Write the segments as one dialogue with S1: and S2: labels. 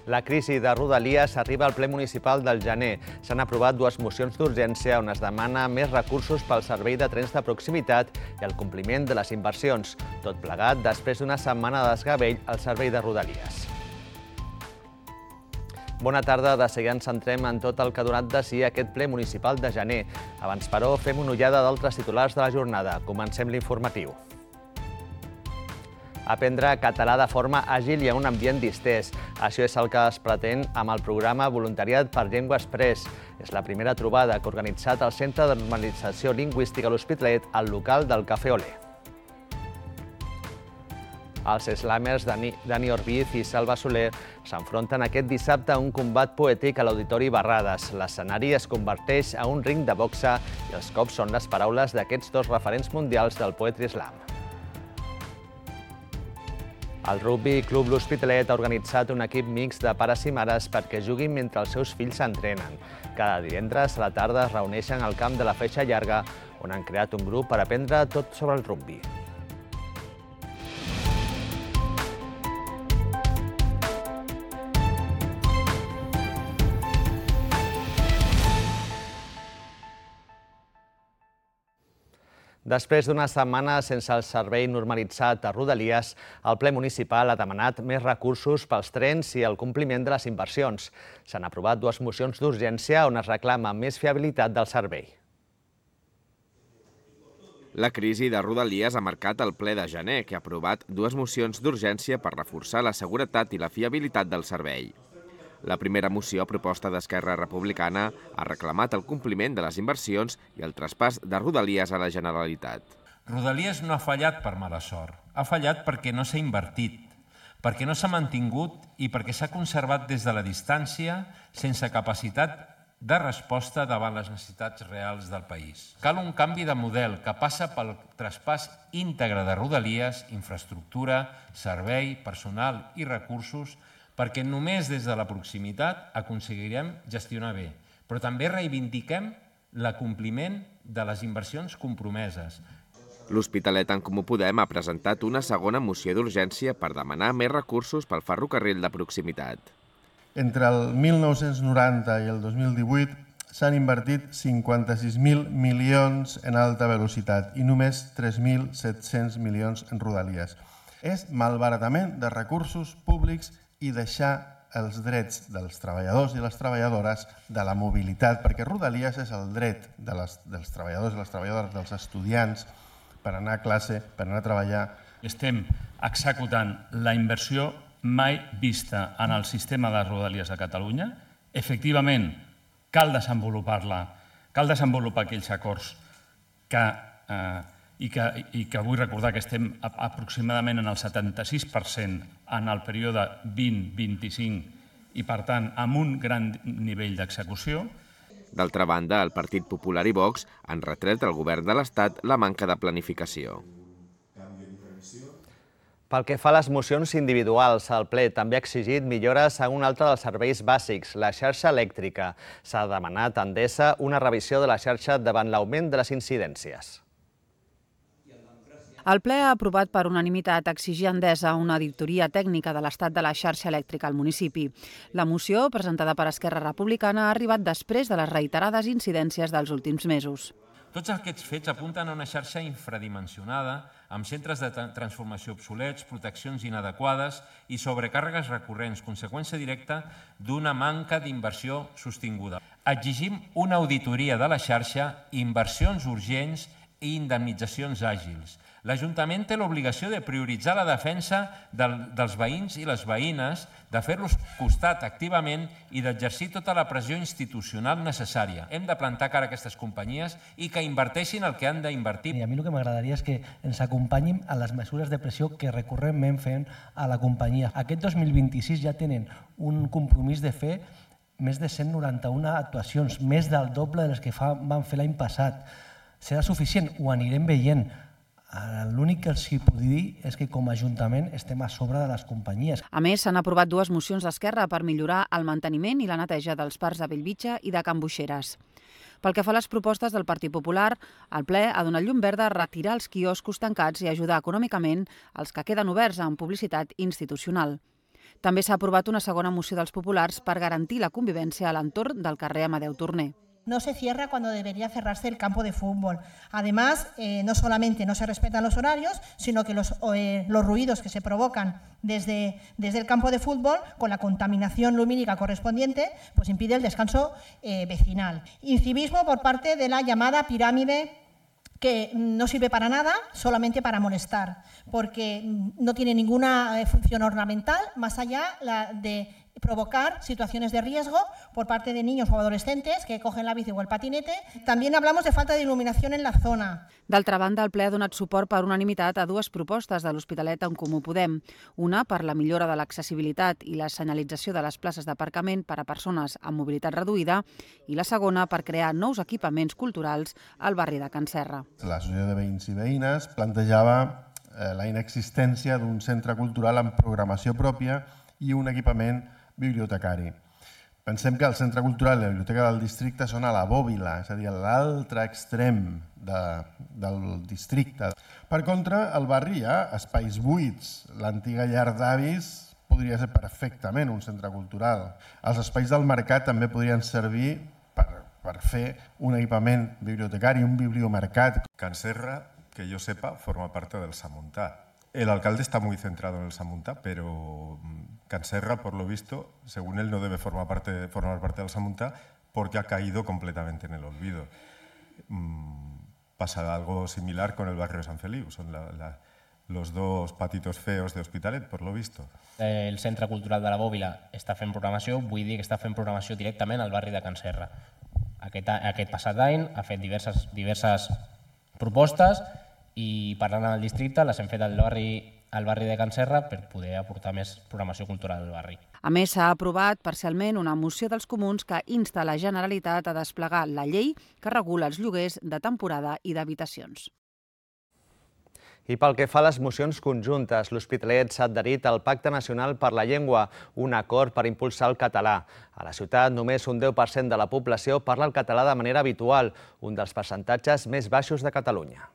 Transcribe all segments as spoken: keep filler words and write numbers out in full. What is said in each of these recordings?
S1: La crisi de Rodalies arriba al ple municipal del gener. S'han aprovat dues mocions d'urgència on es demana més recursos pel servei de trens de proximitat i el compliment de les inversions. Tot plegat després d'una setmana de desgavell al servei de Rodalies. Bona tarda. De seguida ens centrem en tot el que ha donat de si aquest ple municipal de gener. Abans, però, fem una ullada d'altres titulars de la jornada. Comencem l'informatiu. Aprendre català de forma àgil i en un ambient distès. Això és el que es pretén amb el programa Voluntariat per Llengua Express. És la primera trobada que ha organitzat el Centre de Normalització Lingüística a l'Hospitalet, al local del Cafè Olé. Els slamers Dani Orbiz i Salva Soler s'enfronten aquest dissabte a un combat poètic a l'Auditori Barrades. L'escenari es converteix a un ring de boxa i els cops són les paraules d'aquests dos referents mundials del poetry slam. El Rugby Club L'Hospitalet ha organitzat un equip mixt de pares i mares perquè juguin mentre els seus fills s'entrenen. Cada divendres a la tarda es reuneixen al camp de la Feixa Llarga, on han creat un grup per aprendre tot sobre el rugby. Després d'una setmana sense el servei normalitzat a Rodalies, el ple municipal ha demanat més recursos pels trens i el compliment de les inversions. S'han aprovat dues mocions d'urgència on es reclama més fiabilitat del servei.
S2: La crisi de Rodalies ha marcat el ple de gener, que ha aprovat dues mocions d'urgència per reforçar la seguretat i la fiabilitat del servei. La primera moció, proposta d'Esquerra Republicana, ha reclamat el compliment de les inversions i el traspàs de Rodalies a la Generalitat.
S3: Rodalies no ha fallat per mala sort, ha fallat perquè no s'ha invertit, perquè no s'ha mantingut i perquè s'ha conservat des de la distància sense capacitat de resposta davant les necessitats reals del país. Cal un canvi de model que passa pel traspàs íntegre de Rodalies, infraestructura, servei, personal i recursos, perquè només des de la proximitat aconseguirem gestionar bé, però també reivindiquem l'acompliment de les inversions compromeses.
S2: L'Hospitalet en Comú Podem ha presentat una segona moció d'urgència per demanar més recursos pel ferrocarril de proximitat.
S4: Entre el mil nou-cents noranta i el dos mil divuit s'han invertit cinquanta-sis mil milions en alta velocitat i només tres mil set-cents milions en Rodalies. És malbaratament de recursos públics i deixar els drets dels treballadors i les treballadores de la mobilitat, perquè Rodalies és el dret de les, dels treballadors i les treballadores, dels estudiants, per anar a classe, per anar a treballar.
S5: Estem executant la inversió mai vista en el sistema de Rodalies a Catalunya. Efectivament, cal desenvolupar-la, cal desenvolupar aquells acords que... Eh, I que, i que vull recordar que estem aproximadament en el setanta-sis per cent en el període vint vint-vint-cinc i, per tant, amb un gran nivell d'execució.
S2: D'altra banda, el Partit Popular i Vox han retret al govern de l'Estat la manca de planificació.
S1: Pel que fa a les mocions individuals, el ple també ha exigit millores a un altre dels serveis bàsics, la xarxa elèctrica. S'ha demanat a Endesa una revisió de la xarxa davant l'augment de les incidències.
S6: El ple ha aprovat per unanimitat exigir a Endesa una auditoria tècnica de l'estat de la xarxa elèctrica al municipi. La moció, presentada per Esquerra Republicana, ha arribat després de les reiterades incidències dels últims mesos.
S3: Tots aquests fets apunten a una xarxa infradimensionada, amb centres de transformació obsolets, proteccions inadequades i sobrecàrregues recurrents, conseqüència directa d'una manca d'inversió sostinguda. Exigim una auditoria de la xarxa, inversions urgents i indemnitzacions àgils. L'Ajuntament té l'obligació de prioritzar la defensa del, dels veïns i les veïnes, de fer-los costat activament i d'exercir tota la pressió institucional necessària. Hem de plantar cara a aquestes companyies i que inverteixin el que han d'invertir.
S7: I a mi el que m'agradaria és que ens acompanyin a les mesures de pressió que recurrentment fem a la companyia. Aquest dos mil vint-i-sis ja tenen un compromís de fer més de cent noranta-una actuacions, més del doble de les que fa, van fer l'any passat. Serà suficient? Ho anirem veient. L'únic que els puc dir és que com a Ajuntament estem a sobre de les companyies.
S6: A més, s'han aprovat dues mocions d'Esquerra per millorar el manteniment i la neteja dels parcs de Bellvitge i de Can Boixeres. Pel que fa a les propostes del Partit Popular, el ple ha donat llum verda a retirar els quioscos tancats i ajudar econòmicament els que queden oberts amb publicitat institucional. També s'ha aprovat una segona moció dels populars per garantir la convivència a l'entorn del carrer Amadeu Torner.
S8: No se cierra cuando debería cerrarse el campo de fútbol. Además, eh, no solamente no se respetan los horarios, sino que los, eh, los ruidos que se provocan desde, desde el campo de fútbol, con la contaminación lumínica correspondiente, pues impide el descanso eh, vecinal. Incivismo por parte de la llamada pirámide, que no sirve para nada, solamente para molestar, porque no tiene ninguna función ornamental, más allá de provocar situaciones de riesgo por parte de niños o adolescentes que cogen la bici o el patinete. También hablamos de falta de il·luminació en la zona.
S6: D'altra banda, el ple ha donat suport per unanimitat a dues propostes de l'Hospitalet en Comú Podem. Una per la millora de l'accessibilitat i la senyalització de les places d'aparcament per a persones amb mobilitat reduïda i la segona per crear nous equipaments culturals al barri de Can Serra.
S4: L'Associació de Veïns i Veïnes plantejava eh, la inexistència d'un centre cultural amb programació pròpia i un equipament bibliotecari. Pensem que el Centre Cultural i la Biblioteca del Districte són a la bòbila, és a dir, a l'altre extrem de, del districte. Per contra, al barri hi ha espais buits. L'antiga llar d'avis podria ser perfectament un centre cultural. Els espais del mercat també podrien servir per, per fer un equipament bibliotecari, un bibliomercat.
S9: Can Serra, que yo sepa, forma parte del Samuntá. El alcalde está muy centrado en el Samuntá, pero Can Serra, por lo visto, según él, no debe formar parte, formar parte del Samuntá porque ha caído completamente en el olvido. Mm, pasa algo similar con el barrio de San Feliu. Son la, la, los dos patitos feos de Hospitalet, por lo visto.
S10: El Centre Cultural de la Bòbila està fent programació, vull dir que està fent programació directament al barri de Can Serra. Aquest, aquest passat any ha fet diverses, diverses propostes i parlant amb el districte les hem fet al barri, al barri de Can Serra per poder aportar més programació cultural al barri.
S6: A més, s'ha aprovat parcialment una moció dels comuns que insta la Generalitat a desplegar la llei que regula els lloguers de temporada i d'habitacions.
S1: I pel que fa a les mocions conjuntes, l'Hospitalet s'ha adherit al Pacte Nacional per la Llengua, un acord per impulsar el català. A la ciutat, només un deu per cent de la població parla el català de manera habitual, un dels percentatges més baixos de Catalunya.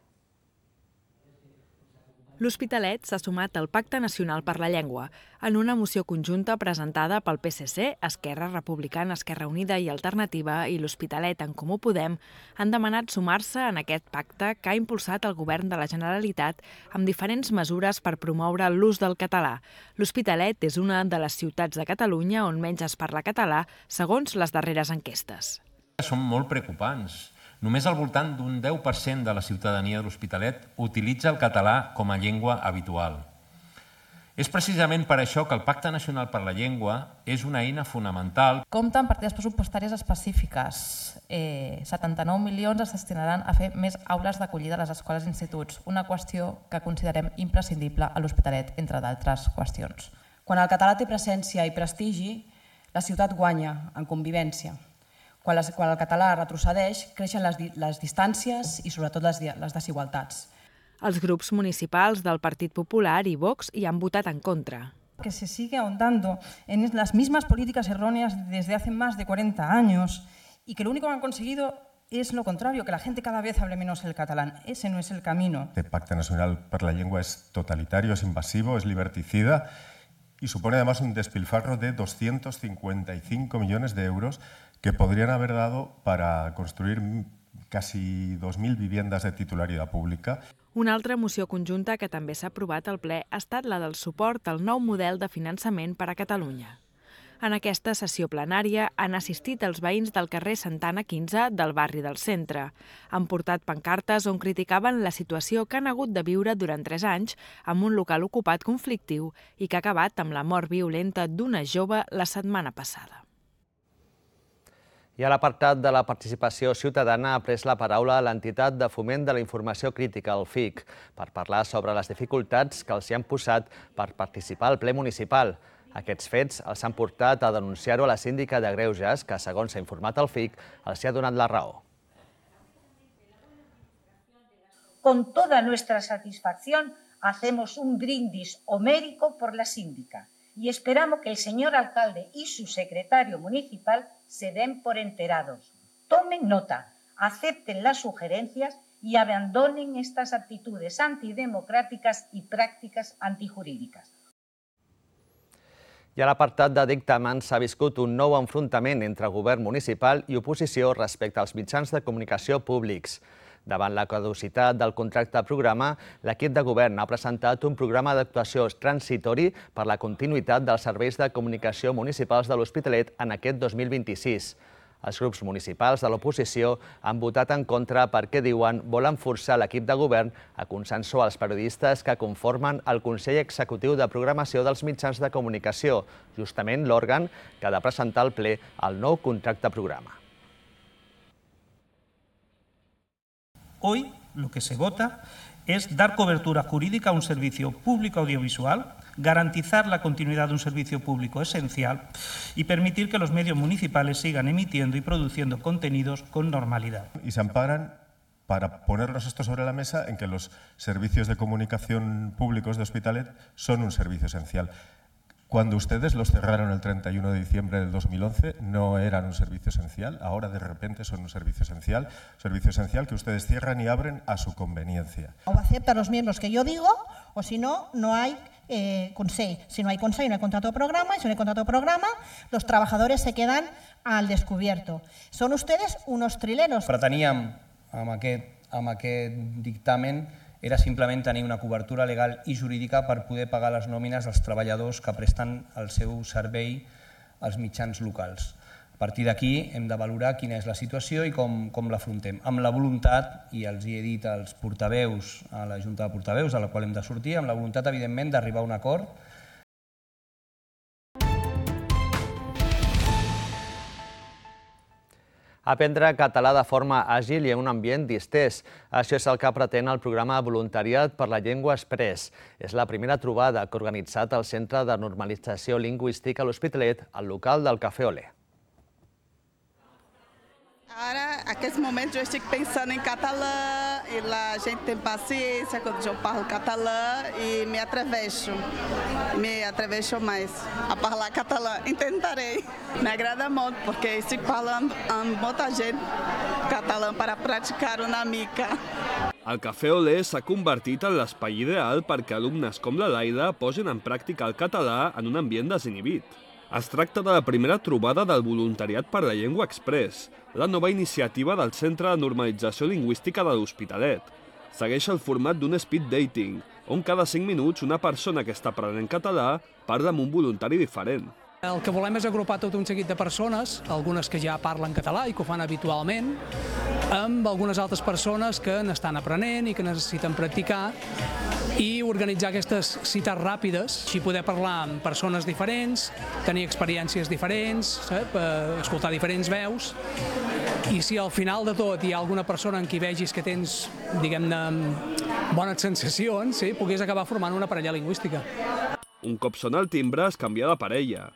S11: L'Hospitalet s'ha sumat al Pacte Nacional per la Llengua en una moció conjunta presentada pel P S C, Esquerra Republicana, Esquerra Unida i Alternativa i l'Hospitalet en Comú Podem han demanat sumar-se en aquest pacte que ha impulsat el Govern de la Generalitat amb diferents mesures per promoure l'ús del català. L'Hospitalet és una de les ciutats de Catalunya on menys es parla català, segons les darreres enquestes.
S3: Són molt preocupants. Només al voltant d'un deu per cent de la ciutadania de l'Hospitalet utilitza el català com a llengua habitual. És precisament per això que el Pacte Nacional per la Llengua és una eina fonamental.
S12: Compta amb partides pressupostàries específiques. Eh, setanta-nou milions es destinaran a fer més aules d'acollida a les escoles i instituts, una qüestió que considerem imprescindible a l'Hospitalet, entre d'altres qüestions.
S13: Quan el català té presència i prestigi, la ciutat guanya en convivència. Quan el català retrocedeix, creixen les distàncies i sobretot les desigualtats.
S11: Els grups municipals del Partit Popular i Vox hi han votat en contra.
S14: Que se sigue ahondando en las mismas políticas erróneas desde hace más de cuarenta años y que lo único que han conseguido es lo contrario, que la gente cada vez hable menos el catalán. Ese no es el camino.
S9: El Pacte Nacional per la Llengua es totalitario, es invasivo, es liberticida y supone además un despilfarro de doscientos cincuenta y cinco millones de euros que podrían haber dado para construir casi dos mil viviendas de titularidad pública.
S11: Una altra moció conjunta que també s'ha aprovat al ple ha estat la del suport al nou model de finançament per a Catalunya. En aquesta sessió plenària han assistit els veïns del carrer Santana quinze del barri del centre. Han portat pancartes on criticaven la situació que han hagut de viure durant tres anys amb un local ocupat conflictiu i que ha acabat amb la mort violenta d'una jove la setmana passada.
S1: I a l'apartat de la participació ciutadana ha pres la paraula l'entitat de foment de la informació crítica, el F I C, per parlar sobre les dificultats que els hi han posat per participar al ple municipal. Aquests fets els han portat a denunciar-ho a la síndica de Greuges, que, segons s'ha informat el F I C, els hi ha donat la raó.
S15: Con toda nuestra satisfacción hacemos un brindis homérico por la síndica y esperamos que el señor alcalde y su secretario municipal se den por enterados. Tomen nota, acepten las sugerencias y abandonen estas actitudes antidemocráticas y prácticas antijurídicas.
S1: I a l'apartat de dictamen s'ha viscut un nou enfrontament entre govern municipal i oposició respecte als mitjans de comunicació públics. Davant la caducitat del contracte programa, l'equip de govern ha presentat un programa d'actuació transitori per la continuïtat dels serveis de comunicació municipals de l'Hospitalet en aquest dos mil vint-i-sis. Els grups municipals de l'oposició han votat en contra perquè, diuen, volen forçar l'equip de govern a consensuar els periodistes que conformen el Consell Executiu de Programació dels Mitjans de Comunicació, justament l'òrgan que ha de presentar al ple el nou contracte programa.
S16: Hoy lo que se vota es dar cobertura jurídica a un servicio público audiovisual, garantizar la continuidad de un servicio público esencial y permitir que los medios municipales sigan emitiendo y produciendo contenidos con normalidad.
S9: Y se amparan para ponernos esto sobre la mesa en que los servicios de comunicación públicos de Hospitalet son un servicio esencial. Cuando ustedes los cerraron el treinta y uno de diciembre del dos mil once, no eran un servicio esencial, ahora de repente son un servicio esencial, servicio esencial que ustedes cierran y abren a su conveniencia.
S8: O aceptan los miembros que yo digo, o si no, no hay eh, consell. Si no hay consell, no hay contrato de programa, y si no hay contrato de programa, los trabajadores se quedan al descubierto. Son ustedes unos trileros.
S17: Preteníem amb aquest, amb aquest dictamen era simplement tenir una cobertura legal i jurídica per poder pagar les nòmines dels treballadors que presten el seu servei als mitjans locals. A partir d'aquí hem de valorar quina és la situació i com, com l'afrontem. Amb la voluntat, i els hi he dit als portaveus, a la Junta de Portaveus, a la qual hem de sortir, amb la voluntat, evidentment, d'arribar a un acord.
S1: Aprendre català de forma àgil i en un ambient distès. Això és el que pretén el programa Voluntariat per la Llengua Express. És la primera trobada que ha organitzat el Centre de Normalització Lingüística a l'Hospitalet, al local del Cafè Olé.
S18: Ara, en aquests moments, jo estic pensant en català i la gent tem paciència quando eu parlo català e me atraveixo, me atraveixo mais a parlar català. Intentarei. Me agrada molt perquè estic parlant amb molta gent català para praticar una mica.
S19: El Cafè Olé s'ha convertit en l'espai ideal perquè alumnes com la Laida posin en pràctica el català en un ambient desinhibit. Es tracta de la primera trobada del Voluntariat per la Llengua Express, la nova iniciativa del Centre de Normalització Lingüística de l'Hospitalet. Segueix el format d'un speed dating, on cada cinc minuts una persona que està aprenent català parla amb un voluntari diferent.
S20: El que volem és agrupar tot un seguit de persones, algunes que ja parlen català i que ho fan habitualment, amb algunes altres persones que n'estan aprenent i que necessiten practicar, i organitzar aquestes cites ràpides, així poder parlar amb persones diferents, tenir experiències diferents, escoltar diferents veus, i si al final de tot hi ha alguna persona en qui vegis que tens, diguem-ne, bones sensacions, puguis acabar formant una parella lingüística.
S19: Un cop sona el timbre es canvia de parella.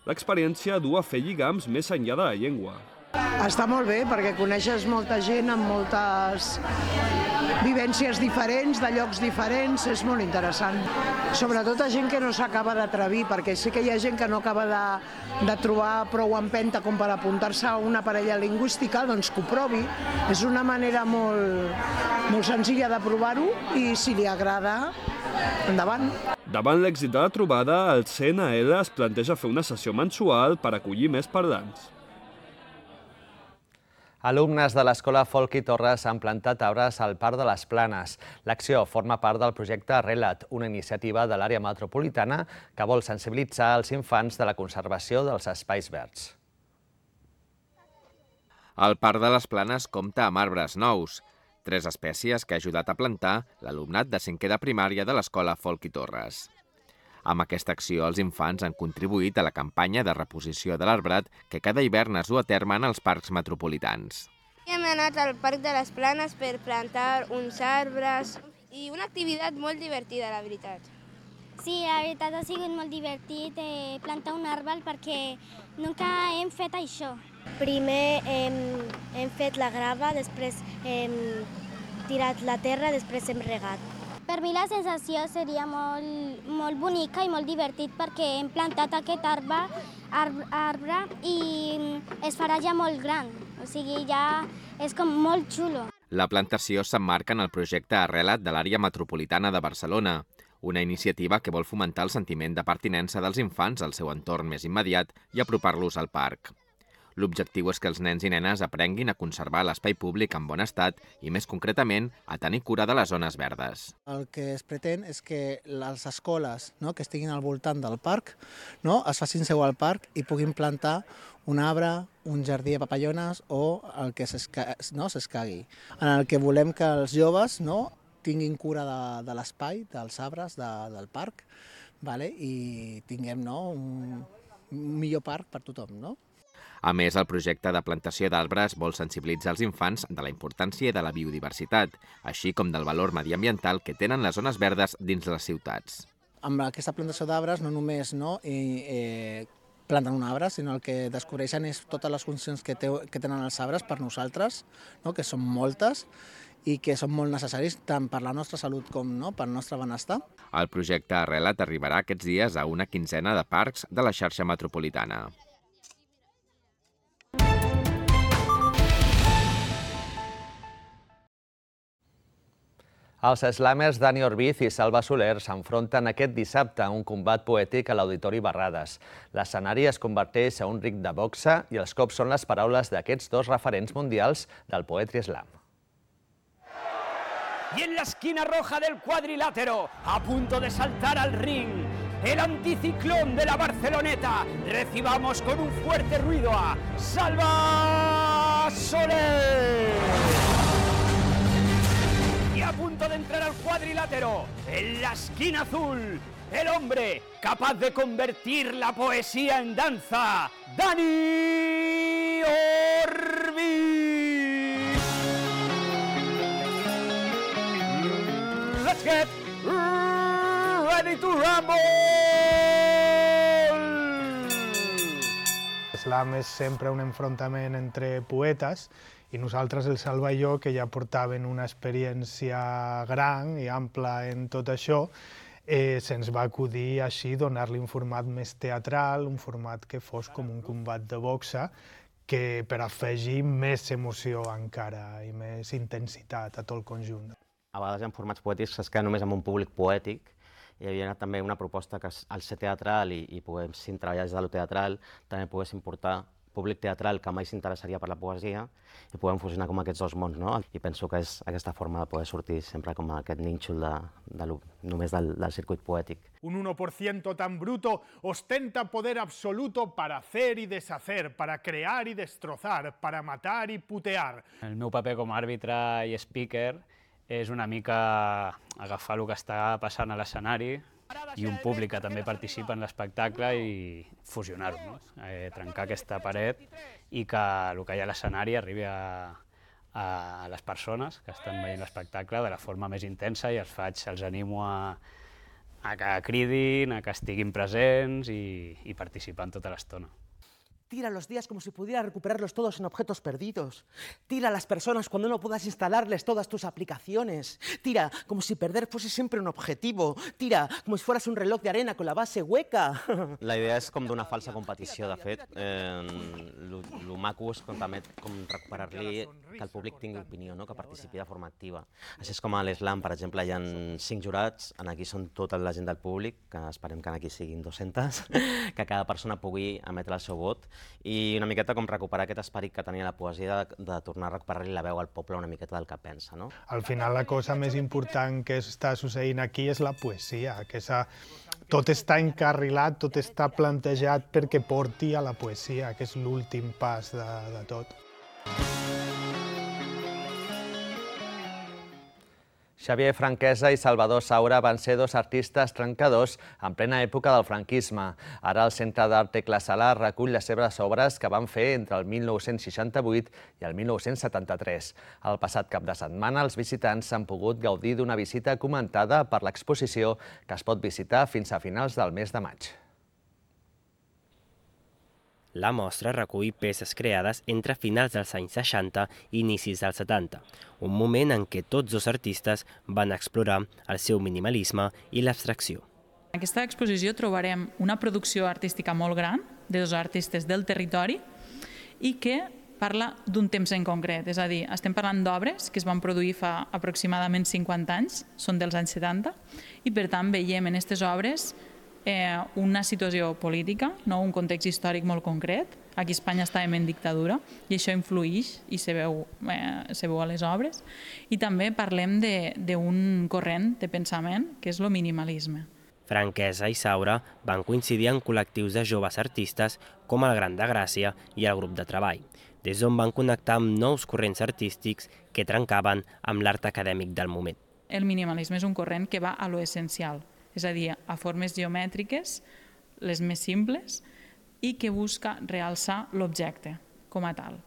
S19: L'experiència du a fer lligams més enllà de la llengua.
S21: Està molt bé perquè coneixes molta gent amb moltes vivències diferents, de llocs diferents, és molt interessant. Sobretot a gent que no s'acaba d'atrevir, perquè sí que hi ha gent que no acaba de, de trobar prou empenta com per apuntar-se a una parella lingüística, doncs que ho provi. És una manera molt, molt senzilla de provar-ho i si li agrada, endavant.
S19: Davant l'èxit de la trobada, el C N L es planteja fer una sessió mensual per acollir més parlants.
S1: Alumnes de l'Escola Folch i Torres han plantat arbres al Parc de les Planes. L'acció forma part del projecte Arrela't, una iniciativa de l'àrea metropolitana que vol sensibilitzar els infants de la conservació dels espais verds.
S2: El Parc de les Planes compta amb arbres nous, tres espècies que ha ajudat a plantar l'alumnat de cinquè de primària de l'Escola Folch i Torres. Amb aquesta acció, els infants han contribuït a la campanya de reposició de l'arbrat que cada hivern es du a terme en els parcs metropolitans.
S22: Hem anat al Parc de les Planes per plantar uns arbres i una activitat molt divertida, la veritat.
S23: Sí, la veritat ha sigut molt divertit eh, plantar un arbre perquè nunca hem fet això.
S24: Primer hem, hem fet la grava, després hem tirat la terra, després hem regat.
S23: Per mi la sensació seria molt, molt bonica i molt divertit perquè hem plantat aquest arbre, arbre, arbre i es farà ja molt gran, o sigui, ja és com molt xulo.
S2: La plantació s'emmarca en el projecte Arrela't de l'àrea metropolitana de Barcelona, una iniciativa que vol fomentar el sentiment de pertinença dels infants al seu entorn més immediat i apropar-los al parc. L'objectiu és que els nens i nenes aprenguin a conservar l'espai públic en bon estat i, més concretament, a tenir cura de les zones verdes.
S4: El que es pretén és que les escoles, no, que estiguin al voltant del parc, no, es facin seu al parc i puguin plantar un arbre, un jardí de papallones o el que s'escagui. En el que volem que els joves, no, tinguin cura de, de l'espai, dels arbres, de, del parc, vale? I tinguem, no, un, un millor parc per tothom, no?
S2: A més, el projecte de plantació d'arbres vol sensibilitzar els infants de la importància de la biodiversitat, així com del valor mediambiental que tenen les zones verdes dins les ciutats.
S4: Amb aquesta plantació d'arbres no només no, i, eh, planten un arbre, sinó el que descobreixen és totes les funcions que, te, que tenen els arbres per nosaltres, no, que són moltes, i que són molt necessaris tant per la nostra salut com no, per al nostre benestar.
S2: El projecte Arrela't arribarà aquests dies a una quinzena de parcs de la xarxa metropolitana.
S1: Els slamers Dani Orbiz i Salva Soler s'enfronten aquest dissabte a un combat poètic a l'Auditori Barrades. L'escenari es converteix a un ring de boxa i els cops són les paraules d'aquests dos referents mundials del poetry slam.
S5: Y en la esquina roja del cuadrilátero, a punto de saltar al ring, el anticiclón de la Barceloneta, recibamos con un fuerte ruido a Salva Soler. Y a punto de entrar al cuadrilátero, en la esquina azul, el hombre capaz de convertir la poesía en danza, Dani Orbiz. Let's get ready to rumble!
S7: Slam és sempre un enfrontament entre poetes i nosaltres, el Salva i jo, que ja portaven una experiència gran i ampla en tot això, eh, se'ns va acudir així donar-li un format més teatral, un format que fos com un combat de boxa, que per afegir més emoció encara i més intensitat a tot el conjunt.
S10: A vegades hi ha formats poètics que es queden només amb un públic poètic. Hi havia també una proposta que al ser teatral i, i poguéssim treballar des de lo teatral, també poguéssim portar públic teatral que mai s'interessaria per la poesia i podem fusionar com aquests dos mons, no? I penso que és aquesta forma de poder sortir sempre com aquest nínxol de, de lo, només del, del circuit poètic.
S25: Un uno por ciento tan bruto ostenta poder absoluto para hacer y deshacer, para crear y destrozar, para matar y putear.
S26: El meu paper com a àrbitre i speaker és una mica agafar el que està passant a l'escenari i un públic que també participa en l'espectacle i fusionar-ho, no? eh, trencar aquesta paret i que el que hi ha a l'escenari arribi a, a les persones que estan veient l'espectacle de la forma més intensa i els faig, els animo a, a que cridin, a que estiguin presents i, i participant tota l'estona.
S27: Tira los días como si pudieras recuperarlos todos en objetos perdidos. Tira a las personas cuando no puedas instalarles todas tus aplicaciones. Tira como si perder fuese siempre un objetivo. Tira como si fueras un reloj de arena con la base hueca.
S10: La idea és com d'una falsa competició, de fet. El maco és com, també com recuperar-li que el públic tingui opinió, no? Que participi de forma activa. Així és com a l'Slam, per exemple, hi ha cinc jurats, en aquí són tota la gent del públic, que esperem que en aquí siguin dues-centes, que cada persona pugui emetre el seu vot, i una miqueta com recuperar aquest esperit que tenia la poesia de, de tornar a recuperar-li la veu al poble una miqueta del que pensa, no?
S7: Al final la cosa més important que està succeint aquí és la poesia, que esa, tot està encarrilat, tot està plantejat perquè porti a la poesia, que és l'últim pas de, de tot.
S1: Xavier Franquesa i Salvador Saura van ser dos artistes trencadors en plena època del franquisme. Ara el Centre d'Art Tecla Sala recull les seves obres que van fer entre el mil nou-cents seixanta-vuit i el mil nou-cents setanta-tres. El passat cap de setmana els visitants s'han pogut gaudir d'una visita comentada per l'exposició que es pot visitar fins a finals del mes de maig.
S28: La mostra recull peces creades entre finals dels anys seixanta i inicis dels setanta, un moment en què tots dos artistes van explorar el seu minimalisme i l'abstracció.
S29: En aquesta exposició trobarem una producció artística molt gran de dos artistes del territori i que
S3: parla d'un temps en concret, és a dir, estem parlant d'obres que es van produir fa aproximadament cinquanta anys, són dels anys setanta, i per tant veiem en aquestes obres eh, una situació política, no? Un context històric molt concret. Aquí a Espanya estàvem en dictadura i això influïx i se veu, eh, se veu a les obres. I també parlem d'un corrent de pensament que és el minimalisme.
S28: Franquesa i Saura van coincidir en col·lectius de joves artistes com el Gran de Gràcia i el grup de treball, des d'on van connectar amb nous corrents artístics que trencaven amb l'art acadèmic del moment.
S3: El minimalisme és un corrent que va a lo essencial, és a dir, a formes geomètriques, les més simples, i que busca realçar l'objecte com a tal.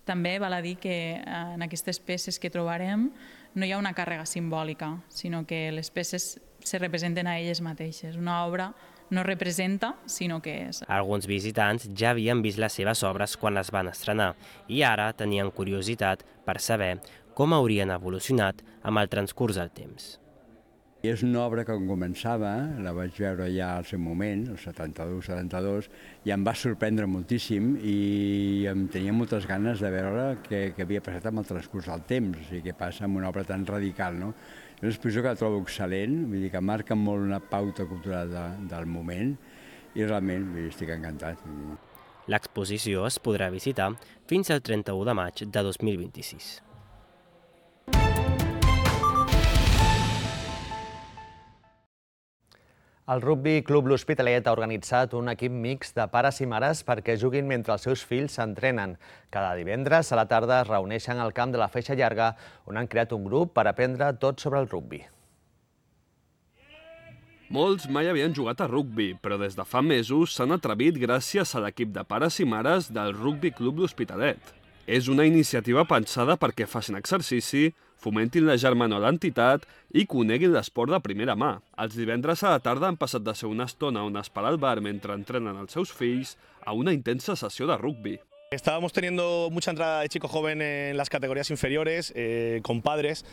S3: També val a dir que en aquestes peces que trobarem no hi ha una càrrega simbòlica, sinó que les peces se representen a elles mateixes. Una obra no representa, sinó que és.
S28: Alguns visitants ja havien vist les seves obres quan les van estrenar i ara tenien curiositat per saber com haurien evolucionat amb el transcurs del temps.
S6: És una obra que quan començava, la vaig veure ja al seu moment, el setanta-dos setanta-dos, i em va sorprendre moltíssim i em tenia moltes ganes de veure què, què havia passat amb el transcurs del temps, o sigui, què passa amb una obra tan radical, no? És una exposició que la trobo excel·lent, vull dir que marca molt una pauta cultural de, del moment i realment vull dir, estic encantat.
S28: L'exposició es podrà visitar fins al trenta-u de maig de dos mil vint-i-sis.
S1: El Rugby Club L'Hospitalet ha organitzat un equip mixt de pares i mares perquè juguin mentre els seus fills s'entrenen. Cada divendres a la tarda es reuneixen al camp de la Feixa Llarga, on han creat un grup per aprendre tot sobre el rugby.
S19: Molts mai havien jugat a rugby, però des de fa mesos s'han atrevit gràcies a l'equip de pares i mares del Rugby Club L'Hospitalet. És una iniciativa pensada perquè facin exercici, fomentin la germanor a l'entitat i coneguin l'esport de primera mà. Els divendres a la tarda han passat de ser una estona on esperar al bar mentre entrenen els seus fills a una intensa sessió de rugby.
S11: Estábamos teniendo mucha entrada de chico joven en las categorías inferiores, eh, con padres,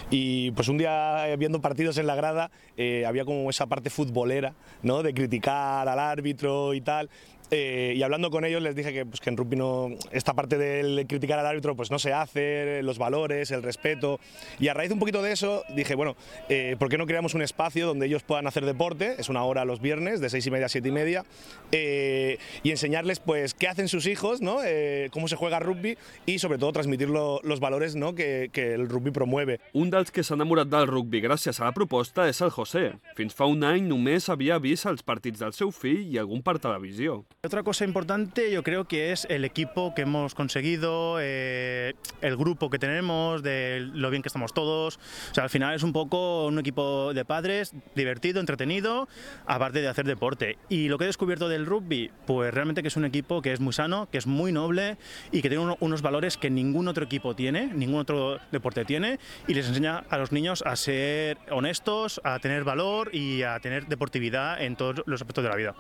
S11: y pues un día eh, viendo partidos en la grada eh, había como esa parte futbolera, ¿no? De criticar al árbitro y tal. Eh, y hablando con ellos les dije que, pues, que en rugby no, esta parte del criticar al árbitro pues no se hace, los valores, el respeto, y a raíz un poquito de eso dije, bueno, eh, ¿por qué no creamos un espacio donde ellos puedan hacer deporte? Es una hora los viernes, de seis y media a siete y media, eh, y enseñarles pues qué hacen sus hijos, ¿no? eh, cómo se juega rugby y sobre todo transmitir lo, los valores, ¿no? que, que el rugby promueve.
S19: Un dels que s'ha enamorat del rugby gràcies a la proposta és el José. Fins fa un any només havia vist els partits del seu fill i algun per televisió.
S12: Otra cosa importante yo creo que es el equipo que hemos conseguido, eh, el grupo que tenemos, de lo bien que estamos todos. O sea, al final es un poco un equipo de padres divertido, entretenido, aparte de hacer deporte. Y lo que he descubierto del rugby, pues realmente que es un equipo que es muy sano, que es muy noble y que tiene uno, unos valores que ningún otro equipo tiene, ningún otro deporte tiene, y les enseña a los niños a ser honestos, a tener valor y a tener deportividad en todos los aspectos de la vida.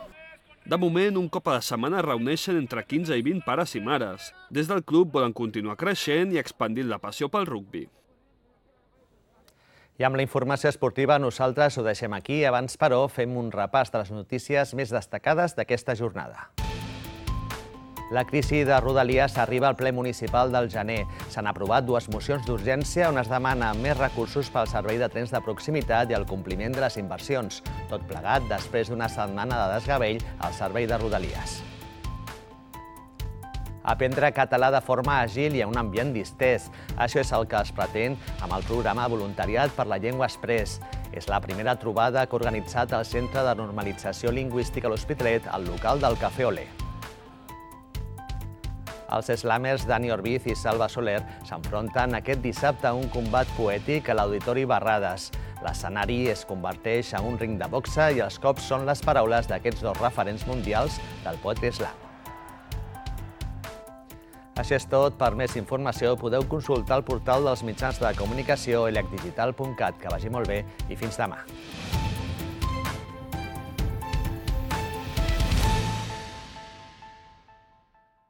S19: De moment, un cop a la setmana reuneixen entre quinze i vint pares i mares. Des del club volen continuar creixent i expandint la passió pel rugby.
S1: I amb la informació esportiva nosaltres ho deixem aquí. Abans, però, fem un repàs de les notícies més destacades d'aquesta jornada. La crisi de Rodalies arriba al ple municipal del gener. S'han aprovat dues mocions d'urgència on es demana més recursos pel servei de trens de proximitat i el compliment de les inversions. Tot plegat després d'una setmana de desgavell al servei de Rodalies. Aprendre català de forma àgil i en un ambient distès. Això és el que es pretén amb el programa de voluntariat per la llengua Express. És la primera trobada que ha organitzat el Centre de Normalització Lingüística a l'Hospitalet, al local del Cafè Olé. Els slamers Dani Orbiz i Salva Soler s'enfronten aquest dissabte a un combat poètic a l'Auditori Barrades. L'escenari es converteix en un ring de boxa i els cops són les paraules d'aquests dos referents mundials del poetry slam. Això és tot. Per més informació podeu consultar el portal dels mitjans de comunicació elec digital punt cat. Que vagi molt bé i fins demà.